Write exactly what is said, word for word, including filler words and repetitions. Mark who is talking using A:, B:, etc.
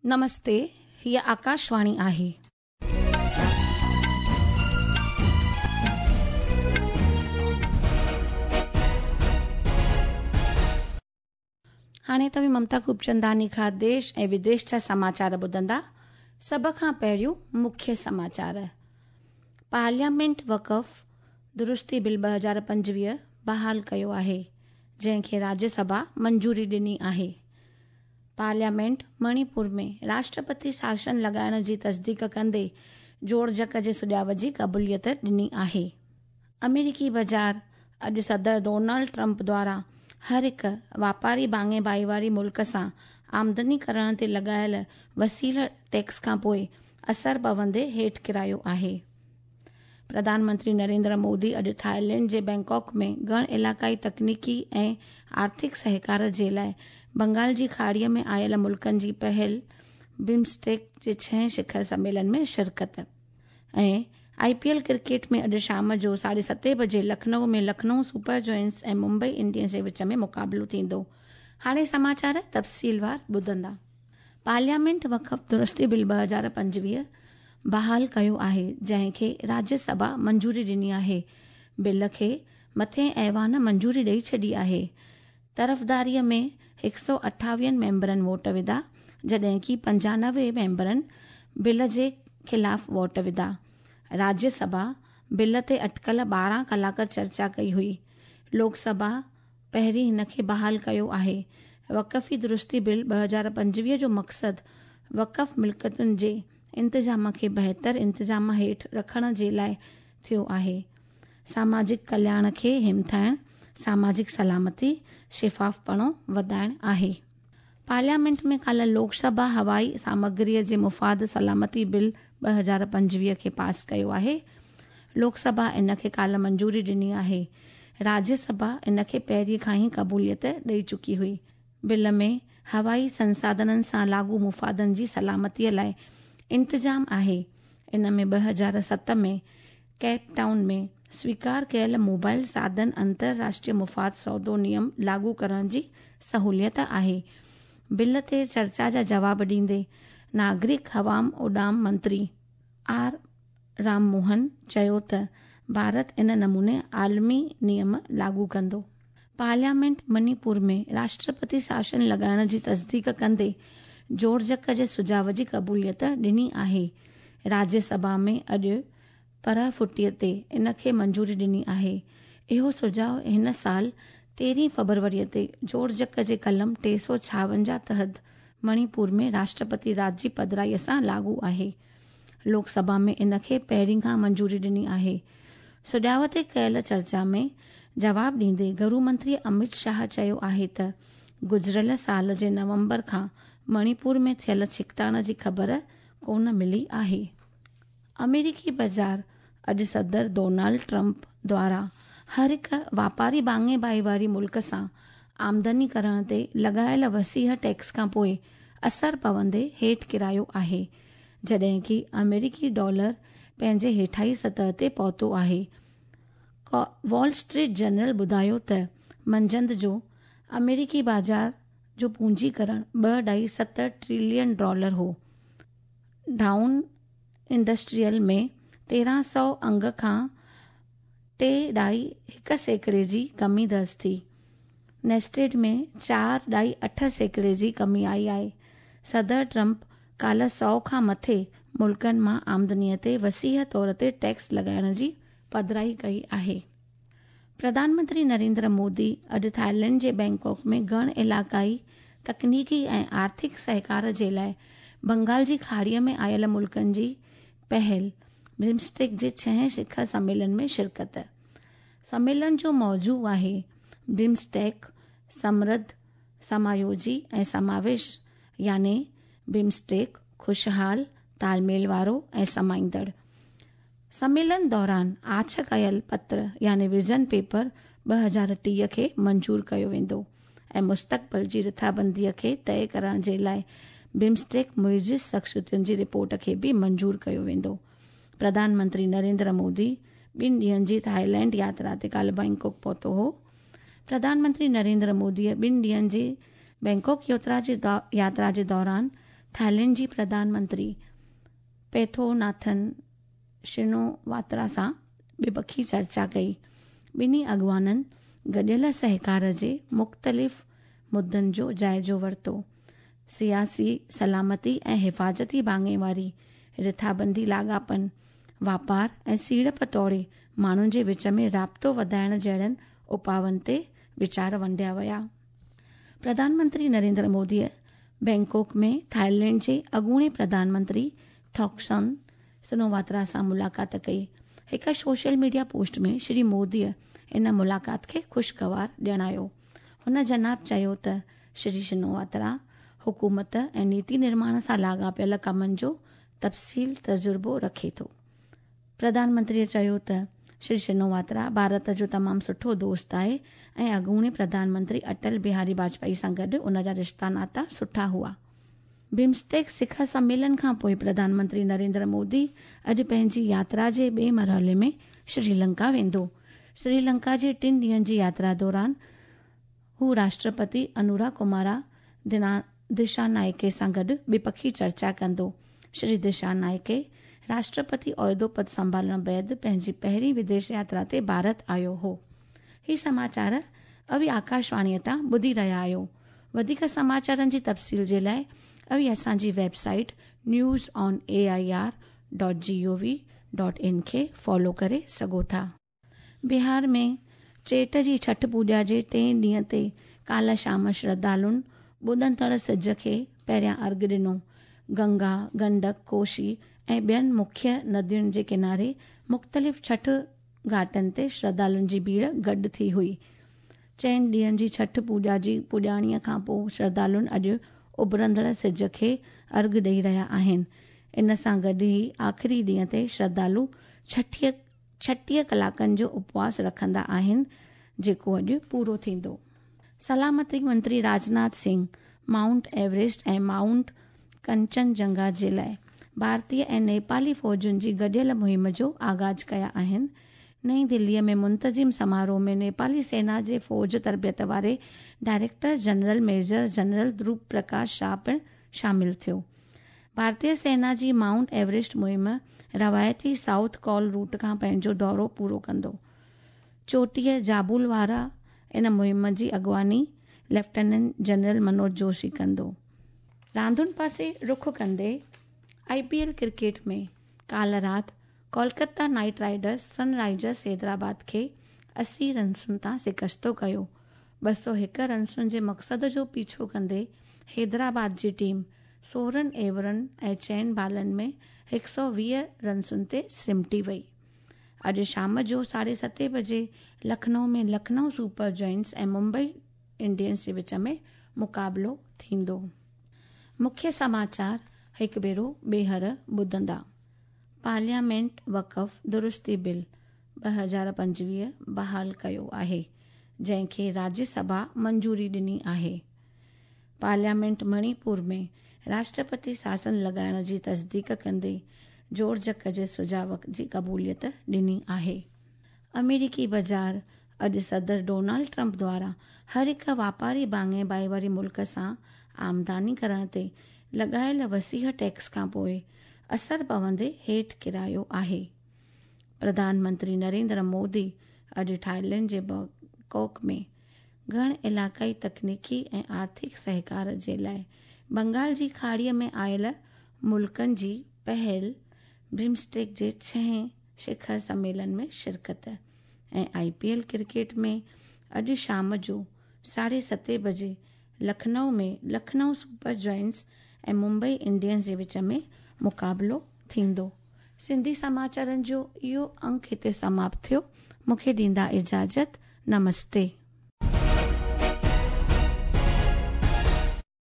A: नमस्ते, हीअ आकाशवाणी आहे। हाणे तव्हीं ममता खूबचंदानी खां देश ऐं विदेश जा समाचार ॿुधंदा। सभ खां पहिरियों मुख्य समाचार। पार्लियामेंट वक़फ़ दुरुस्ती बिल ॿ हज़ार पंजवीह बहाल कयो आहे, जंहिंखे राज्यसभा मंजूरी ॾिनी आहे। पार्लियामेंट मणिपुर में राष्ट्रपति शासन लॻाइण जी तस्दीक कंदे जोड़जक जे सुझाव जी क़बूलियत ॾिनी आहे। अमेरिकी बाज़ार अॼु सदर डोनाल्ड ट्रंप द्वारा हर हिकु वापारी भाङे भाईवारी मुल्क सां आमदनी करण ते लॻायल वसील टैक्स खां पोइ असर पवंदे हेठि किरायो आहे। प्रधानमंत्री नरेंद्र मोदी अॼु थाईलैंड जे बैंकॉक में गण इलाक़ाई तकनीकी ऐं आर्थिक सहकार जे लाइ बंगाल जी खाड़ीअ में आयल मुल्कनि जी पहल बिम्स्टेक जे छहें शिखर सम्मेलन में शिरकत। ऐं I P L cricket में अॼु शाम जो साढे सते बजे लखनऊ में लखनऊ सुपर जॉयंट्स ऐं मुंबई इंडियंस जे विच में मुक़ाबिलो थींदो। हाणे समाचार तफ़सीलवार ॿुधंदा। पार्लियामेंट वक़फ़ दुरुस्ती बिल ॿ हज़ार पंजवीह बहाल कयो आहे, जंहिंखे राज्यसभा मंजूरी ॾिनी आहे। बिल खे मथे ऐवान मंजूरी ॾेई छॾी आहे। तरफ़दारीअ में हिकु सौ अठावीहनि मेंबरनि वोट विधा, जॾहिं की पंजानवे मेंबरनि बिल जे ख़िलाफ़ वोट विधा। राज्यसभा बिल ते अटकल ॿारहं कलाक चर्चा कई हुई। लोकसभा पहिरीं हिनखे बहाल कयो आहे। वक़फ़ी दुरुस्ती बिल ॿ हज़ार पंजवीह जो मक़सदु वक़फ़ मिल्कतुनि जे इंतज़ाम खे बहितर इंतज़ाम हेठि रखण जे लाइ थियो आहे। सामाजिक कल्याण खे हिमथाइण, सामाजिक सलामती, शफ़ाफ़पणो वधाइण आहे। पार्लियामेंट में काल्ह लोकसभा हवाई सामग्रीअ जे मुफ़ाद सलामती बिल ॿ हज़ार पंजवीह खे पास कयो आहे। लोकसभा इन खे काल्ह मंजूरी ॾिनी आहे। राज्यसभा इन खे पहिरीं खां ई क़बूलियत ॾेई चुकी हुई। बिल में हवाई संसाधननि सां लागू मुफ़ादनि जी सलामतीअ लाइ इंतज़ाम आहे। इन में ॿ हज़ार सत में केप टाउन में स्वीकार कयल मोबाइल साधन अंतरराष्ट्रीय मुफ़ाद सौदो नियम लागू करण जी सहूलियत आहे। बिल ते चर्चा जा जवाब ॾींदे नागरिक हवाम उॾाम मंत्री are Ram Mohan चयो त भारत इन नमूने आलमी नियम लागू कंदो। पार्लियामेंट मणिपुर में राष्ट्रपति शासन लॻाइण जी तस्दीक कंदे जोड़जक जे सुझाव जी क़बूलियत ॾिनी आहे। राज्यसभा में अॼु परह फुटीअ ते इन खे मंजूरी ॾिनी आहे। इहो सुझाव हिन साल तेरहीं फरवरीअ ते जोड़जक जे कलम टे सौ छावंजाह तहत मणिपुर में राष्ट्रपति राज जी पधराईअ सां लागू आहे। लोकसभा में इन खे पहिरीं खां मंजूरी ॾिनी आहे। सुझाव ते कयल चर्चा में जवाब ॾींदे गृह मंत्री अमित शाह चयो आहे त गुज़िरियल साल जे नवंबर खां मणिपुर में थियल छिकताण जी ख़बर कोन मिली आहे। अमेरिकी बाज़ार अॼु सदर डोनाल्ड ट्रंप द्वारा हर हिकु वापारी भाङे भाईवारी मुल्क सां आमदनी करण ते लॻायल वसीह टैक्स खां पोइ असर पवंदे हेठि किरायो आहे, जॾहिं की अमेरिकी डॉलर पंहिंजे हेठाई सतह ते पहुतो आहे। वॉल स्ट्रीट जर्नल ॿुधायो त मंझंदि जो अमेरिकी बाज़ार जो पूंजीकरण ॿ ढाई सत ट्रिलियन डॉलर हो। डाउन इंडस्ट्रियल में तेरहं सौ अंग खां टे ढाई हिकु सैकड़े जी कमी दर्ज थी। नेस्टेड में चार ढाई अठ सैकड़े जी कमी आई आहे। सदर ट्रंप काल्ह सौ खां मथे मुल्कनि मां आमदनीअ ते वसीह तौर ते टैक्स लॻाइण जी पधराई कई आहे। प्रधानमंत्री नरेंद्र मोदी अॼु थाईलैंड जे बैंकॉक में गण इलाक़ाई तकनीकी ऐं आर्थिक सहकार जे लाइ बंगाल जी खाड़ीअ में आयल मुल्कनि जी पहल बिम्स्टेक जे छहें शिखर सम्मेलन में शिरकत। सम्मेलन जो मौज़ू आहे बिम्स्टेक समृद्ध, समायोजी ऐं समावेश, यानी बिम्स्टेक ख़ुशहाल, तालमेल वारो ऐं समाईंदड़। सम्मेलन दौरान आछ कयल पत्र यानी विज़न पेपर ॿ हज़ार टीह खे मंजूर कयो वेंदो ऐं मुस्तक़बिल जी रिथाबंदीअ खे तय करण जे लाइ बिम्स्टेक मुइज़ शख़्सियतुनि जी रिपोर्ट खे बि मंजूर कयो वेंदो। प्रधानमंत्री नरेंद्र मोदी ॿिनि ॾींहनि जी थाईलैंड यात्रा ते काल्ह बैंकॉक पहुतो हो। प्रधानमंत्री नरेंद्र मोदीअ ॿिनि ॾींहनि जी बैंकॉक यात्रा जे यात्रा जे दौरान थाईलैंड जी प्रधानमंत्री पेथोनाथन शिनोवात्रा सां ॿिपखी चर्चा कई। ॿिन्ही अॻवाननि गॾियल सहकार जे मुख़्तलिफ़ मुद्दनि जो जाइज़ो वरितो। सियासी, सलामती ऐं हिफ़ाज़ती भाङेवारी, रिथाबंदी लाॻापनि, वापार ऐं सीड़प तौरे माण्हुनि जे विच में राब्तो वधाइण जहिड़नि उपाउनि ते वीचार वंडिया विया। प्रधानमंत्री नरेंद्र मोदीअ बैंकॉक में थाईलैंड जे अॻूणे प्रधानमंत्री थॉक्सन सिनोवात्रा सां मुलाक़ात कई। हिकु सोशल मीडिया पोस्ट में श्री मोदीअ इन मुलाक़ात खे ख़ुशगवार ॼाणायो। हुन जनाब चयो त श्री शिनोवात्रा हुकूमत ऐं नीति निर्माण सां लाॻापियल कमनि जो तफ़सील तजुर्बो रखे थो। प्रधानमंत्रीअ चयो त श्री शिनोवात्रा भारत जो तमामु सुठो दोस्त आहे ऐं अॻूणे प्रधानमंत्री अटल बिहारी वाजपेयी सां गॾु उन जा रिश्ता नाता सुठा हुआ। बिम्स्टेक शिखर सम्मेलन खां पोइ प्रधानमंत्री नरेंद्र मोदी अॼु पंहिंजी यात्रा जे ॿिए मरहले में श्रीलंका वेंदो। श्रीलंका जे टिनि ॾींहंनि जी यात्रा दौरान हू राष्ट्रपति अनुरा कुमारा दिशानायके सां गॾु ॿिपखी चर्चा कंदो। श्री दिशानायके राष्ट्रपति ओहिदो पद संभालण बाद पंहिंजी पहिरीं विदेश यात्रा ते भारत आयो हो। ही समाचार अवी आकाशवाणीअ तां ॿुधी रहिया आहियो। वधीक समाचारनि जी तफ़सील जे लाइ अवी असांजी website news on A I R dot G O V dot in खे फॉलो करे सघो था। बिहार में चेट जी छठ पूॼा जे टे ॾींहं ते काल्ह शाम श्रद्धालुनि ॿुॾंदड़ सिज खे पहिरियां अर्घ ॾिनो। गंगा, गंडक, कोशी ऐं ॿियनि मुख्य नदियुनि जे किनारे मुख़्तलिफ़ छठ घाटनि ते श्रद्धालुनि जी भीड़ गॾु थी हुई। चइनि ॾींहंनि जी छठ पूॼा जी पुॼाणीअ खां पोइ श्रद्धालुनि अॼु उभरंदड़ सिज खे अर्घ ॾेई रहिया आहिनि। इन सां गॾु ई आख़िरी ॾींहं ते श्रद्धालु छठीह छटीह कलाकनि जो उपवास रखंदा आहिनि, जेको अॼु पूरो थींदो। सलामती मंत्री राजनाथ सिंह माउंट एवरेस्ट ऐं माउंट कंचनजंगा जे लाइ भारतीय ऐं नेपाली फ़ौजुनि जी गॾियल मुहिम जो आगाज़ कया आहिनि। नई दिल्लीअ में मुंतज़िम समारोह में नेपाली सेना जे फ़ौज तरबियत वारे director general major general Dhruv Prakash Shah पिणु शामिल थियो। भारतीय सेना जी माउंट एवरेस्ट मुहिम रवायती साउथ कॉल रूट खां पंहिंजो दौरो पूरो कंदो। चोटीअ जाबुल वारा इन मुहिम जी अॻवानी लेफ्टिनेंट जनरल मनोज जोशी कंदो। रांदुनि पासे रुख कंदे I P L cricket में काल्ह राति Kolkata Knight Riders Sunrisers Hyderabad खे असी रनसुनि तां शिकस्तो कयो। ॿ सौ हिकु रनसुनि जे मक़सद जो पीछो कंदे हैदराबाद जी टीम सोरहं ओवरनि ऐं चइनि बालनि में हिकु सौ वीह रनसुनि ते सिमटी वई। अॼु शाम जो साढे सते बजे लखनऊ में लखनऊ सुपर जॉइंट्स ऐं मुंबई इंडियंस जे विच में मुक़ाबिलो थींदो। मुख्य समाचार हिकु भेरो ॿीहर ॿुधंदा। पार्लियामेंट वक़फ़ दुरुस्ती बिल ॿ हज़ार पंजवीह बहाल कयो आहे, जंहिंखे राज्यसभा मंजूरी ॾिनी आहे। पार्लियामेंट मणिपुर में राष्ट्रपति शासन लॻाइण जी तस्दीक कंदे जोड़जक जे सुझाव जी क़बूलियत ॾिनी आहे। अमेरिकी बाज़ार अॼु सदर डोनाल्ड ट्रंप द्वारा हर हिकु वापारी भाङे भाईवारी मुल्क सां आमदानी करण ते लॻायल वसीह टैक्स खां पोइ असर पवंदे हेठि किरायो आहे। प्रधानमंत्री नरेंद्र मोदी अॼु थाईलैंड जे बैंकॉक में घण इलाक़ाई तकनीकी ऐं आर्थिक सहकार जे लाइ बंगाल जी खाड़ीअ में आयल मुल्कनि जी पहल बिम्स्टेक जे छहें शिखर सम्मेलन में शिरकत। ऐं I P L cricket में अॼु शाम जो साढे सते बजे लखनऊ में लखनऊ सुपर जॉइंट्स ऐं मुंबई इंडियंस जे विच में मुक़ाबिलो थींदो। सिंधी समाचारनि जो इहो अंक हिते समाप्त थियो। मूंखे ॾींदा इजाज़त। नमस्ते।